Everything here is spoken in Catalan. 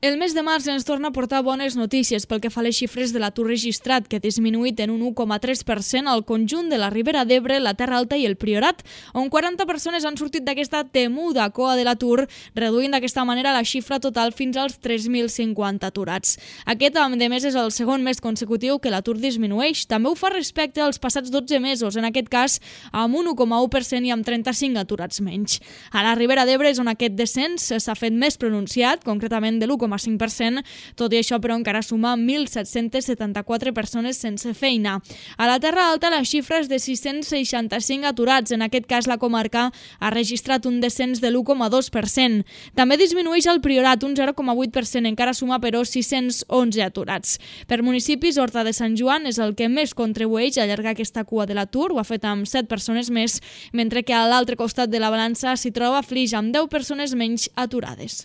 El mes de març ens torna a portar bones notícies pel que fa a les xifres de l'atur registrat, que ha disminuït en un 1,3% al conjunt de la Ribera d'Ebre, la Terra Alta i el Priorat, on 40 persones han sortit d'aquesta temuda coa de l'atur, reduint d'aquesta manera la xifra total fins als 3.050 aturats. Aquest, a més, és el segon mes consecutiu que l'atur disminueix. També ho fa respecte als passats 12 mesos, en aquest cas amb un 1,1% i amb 35 aturats menys. A la Ribera d'Ebre és on aquest descens s'ha fet més pronunciat, concretament de l'1,5%, tot i això però encara suma 1.774 persones sense feina. A la Terra Alta la xifra és de 665 aturats, en aquest cas la comarca ha registrat un descens de l'1,2%. També disminueix el Priorat un 0,8%, encara suma però 611 aturats. Per municipis, Horta de Sant Joan és el que més contribueix a allargar aquesta cua de l'atur, ho ha fet amb 7 persones més, mentre que a l'altre costat de la balança s'hi troba Flix amb 10 persones menys aturades.